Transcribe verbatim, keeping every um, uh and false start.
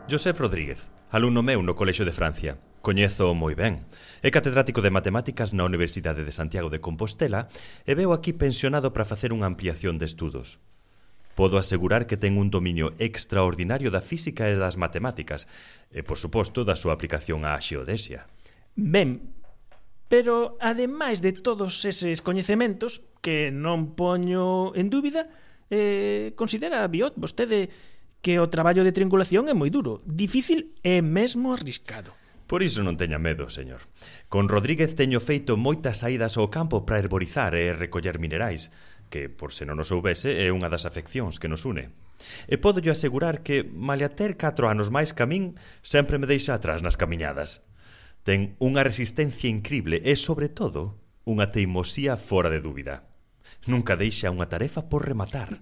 Josep Rodríguez, alumno meu no Colexio de Francia. Coñezo moi ben. É catedrático de Matemáticas na Universidade de Santiago de Compostela e veu aquí pensionado para facer unha ampliación de estudos. Podo asegurar que ten un dominio extraordinario da física e das matemáticas e, por suposto, da súa aplicación á xeodesia. Ben, pero ademais de todos eses coñecementos, que non poño en dúbida, eh, considera, Biot, vostede que o traballo de triangulación é moi duro, difícil e mesmo arriscado. Por iso non teña medo, señor. Con Rodríguez teño feito moitas saídas ao campo para herborizar e recoller minerais, que, por se non o soubese, é unha das afeccións que nos une. E podo asegurar que, malia ter catro anos máis que a min, sempre me deixa atrás nas camiñadas. Ten unha resistencia incrible e, sobre todo, unha teimosía fora de dúbida. Nunca deixa unha tarefa por rematar.